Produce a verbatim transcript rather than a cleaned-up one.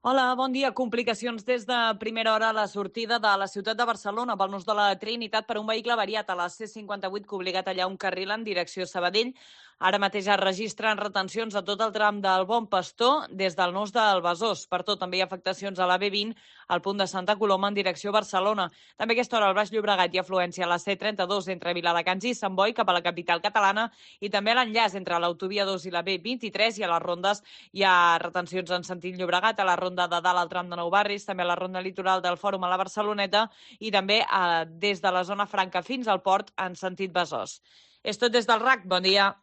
Hola, bon dia. Complicacions des de primera hora a la sortida de la ciutat de Barcelona pel nus de la Trinitat per un vehicle variat a la C cinquanta-vuit que ha obligat allà un carril en direcció Sabadell. Ara mateix es registren retencions a tot el tram del Bon Pastor des del nus del Besòs. Per tot, també hi ha afectacions a la B vint al punt de Santa Coloma en direcció Barcelona. També a aquesta hora al Baix Llobregat hi ha afluència a la C trenta-dos entre Viladecans i Sant Boi cap a la capital catalana i també a l'enllaç entre l'autovia dos i la B vint-i-tres i a les rondes hi ha retencions en sentit Llobregat a la ronda de dalt al tram de Nou Barris, també a la ronda litoral del Fòrum a la Barceloneta i també eh, des de la zona franca fins al port en sentit Besòs. És tot des del R A C. Bon dia.